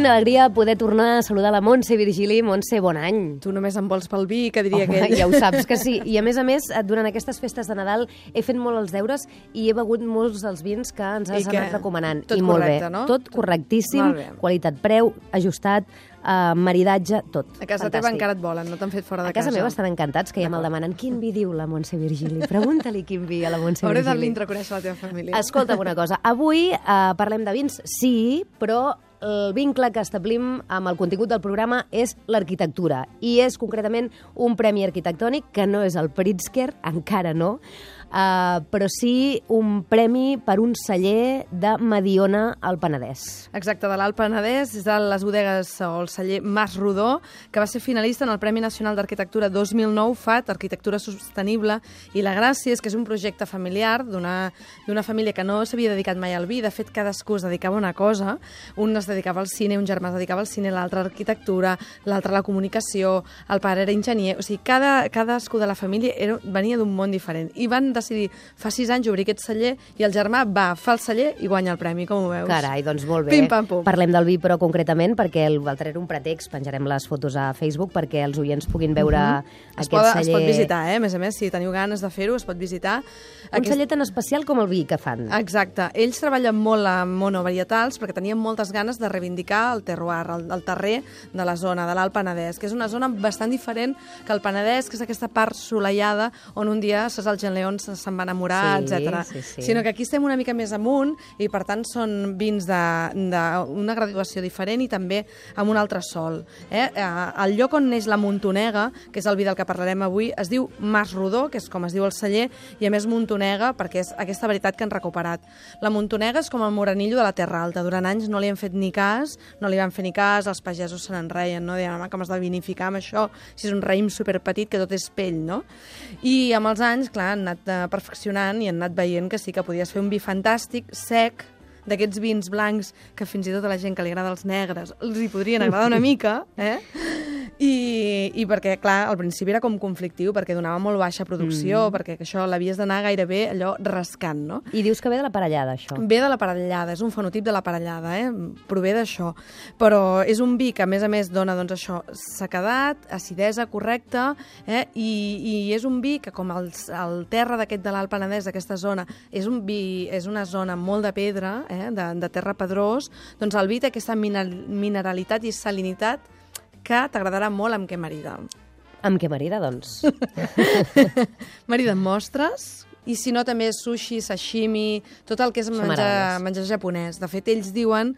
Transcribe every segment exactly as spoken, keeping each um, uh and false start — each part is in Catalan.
Quina alegria poder tornar a saludar la Montse Virgili. Montse, bon any. Tu només em vols pel vi, que diria Home, aquell. ja ho saps que sí. I a més a més, durant aquestes festes de Nadal he fet molt els deures i he begut molts dels vins que ens has anat recomanant. Tot I molt correcte, bé. no? Tot correctíssim, qualitat-preu, ajustat, uh, maridatge, tot. A casa Fantàstic. teva encara et volen, no t'han fet fora de casa. A casa meva estan encantats, que ja me'l demanen. Quin vi diu la Montse Virgili? Pregunta-li quin vi a la Montse Hauré Virgili. de l'intraconèixer la teva família. Escolta'm una cosa. Avui uh, parlem de vins, sí, però el vincle que establim amb el contingut del programa és l'arquitectura. I és concretament un premi arquitectònic que no és el Pritzker, encara no, Uh, però sí un premi per un celler de Mediona al Penedès. Exacte, de l'Alt Penedès, és de les bodegues o el celler Mas Rodó, que va ser finalista en el Premi Nacional d'Arquitectura dos mil nou, F A T, Arquitectura Sostenible, i la gràcia és que és un projecte familiar d'una d'una família que no s'havia dedicat mai al vi. De fet, cadascú es dedicava a una cosa. Un es dedicava al cine, un germà es dedicava al cine, l'altre a l'arquitectura, l'altre a la comunicació, el pare era enginyer. O sigui, cada, cadascú de la família era, venia d'un món diferent. I van decidir fa sis anys obrir aquest celler i el germà va, fa el celler i guanya el premi, com ho veus? Carai, doncs molt bé. Pim, pam, pum. Parlem del vi, però concretament, perquè l'altre era un pretext, penjarem les fotos a Facebook perquè els oients puguin veure uh -huh. aquest es pot, celler. Es pot visitar, eh? A més a més, si teniu ganes de fer-ho, es pot visitar. Un aquest... celler tan especial com el vi que fan. Exacte. Ells treballen molt amb monovarietals perquè tenien moltes ganes de reivindicar el terroir, el, el terrer de la zona, de l'Alt Penedès, que és una zona bastant diferent que el Penedès, que és aquesta part solellada on un dia César León se'n va enamorar, sí, etcètera. Sí, sí. Sinó que aquí estem una mica més amunt i, per tant, són vins d'una graduació diferent i també amb un altre sol. Eh? El lloc on neix la Montonega, que és el vi del que parlarem avui, es diu Mas Rodó, que és com es diu el celler, i a més Montonega perquè és aquesta varietat que han recuperat. La Montonega és com el moranillo de la Terra Alta. Durant anys no li han fet ni cas, no li van fer ni cas, els pagesos se n'enreien, no? Deien, home, com has de vinificar amb això, si és un raïm superpetit que tot és pell, no? I amb els anys, clar, han anat eh, perfeccionant i han anat veient que sí que podies fer un vi fantàstic, sec, d'aquests vins blancs que fins i tot a la gent que li agrada els negres els hi podrien agradar una mica, eh? I, i perquè, clar, al principi era com conflictiu, perquè donava molt baixa producció, mm. perquè això l'havies d'anar gairebé allò rascant, no? I dius que ve de la parellada, això. Ve de la parellada, és un fenotip de la parellada, eh? Prové d'això. Però és un vi que, a més a més, dona, doncs, això, sequedat, acidesa correcta, eh? I, i és un vi que, com el, el terra d'aquest de l'Alt Penedès, d'aquesta zona, és un vi, és una zona molt de pedra, eh? de, de terra pedrós, doncs el vi té aquesta mineralitat i salinitat que t'agradarà molt amb què marida. Amb què marida, doncs? Marida amb mostres, i si no també sushi, sashimi, tot el que és menjar, menjar japonès. De fet, ells diuen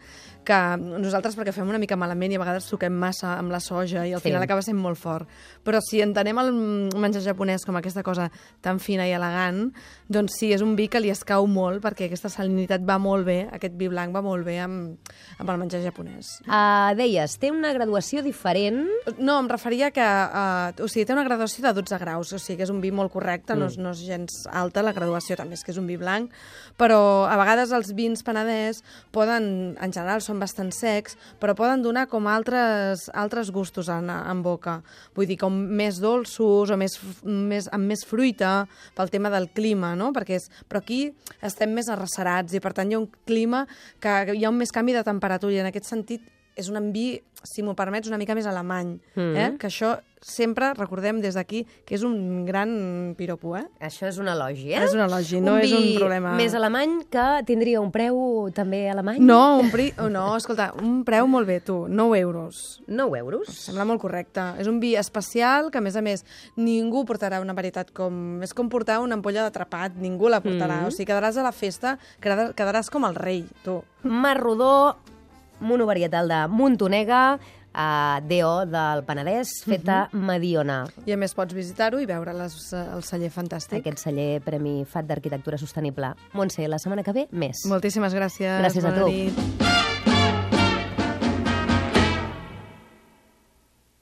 que nosaltres, perquè fem una mica malament i a vegades suquem massa amb la soja i al sí. final acaba sent molt fort. Però si entenem el menjar japonès com aquesta cosa tan fina i elegant, doncs sí, és un vi que li escau molt perquè aquesta salinitat va molt bé, aquest vi blanc va molt bé amb, amb el menjar japonès. Uh, deies, té una graduació diferent? No, em referia que... Uh, o sigui, té una graduació de dotze graus, o sigui que és un vi molt correcte, mm. no, és, no és gens alta la graduació, també és que és un vi blanc, però a vegades els vins penedès poden, en general, són bastant secs, però poden donar com altres, altres gustos en, en boca. Vull dir, com més dolços o més, més, amb més fruita pel tema del clima, no? Perquè és, però aquí estem més arrecerats i, per tant, hi ha un clima que hi ha un més canvi de temperatura i, en aquest sentit, és un vi, si m'ho permets, una mica més alemany. Mm. Eh? Que això sempre recordem des d'aquí que és un gran piropo, eh? Això és un elogi, eh? És un elogi, no un és un problema. Més alemany que tindria un preu també alemany? No, un pri... oh, no, escolta, un preu molt bé, tu, nou euros. nou euros? Em sembla molt correcte. És un vi especial que, a més a més, ningú portarà una varietat com... És com portar una ampolla d'atrapat, ningú la portarà. Mm. O sigui, quedaràs a la festa, quedaràs com el rei, tu. Mas Rodó, monovarietal de Montonega, Uh, D O del Penedès, feta uh -huh. Mediona. I a més pots visitar-ho i veure les, el celler fantàstic. Aquest celler Premi F A T d'Arquitectura Sostenible. Montse, la setmana que ve, més. Moltíssimes gràcies. Gràcies a tu. Nit.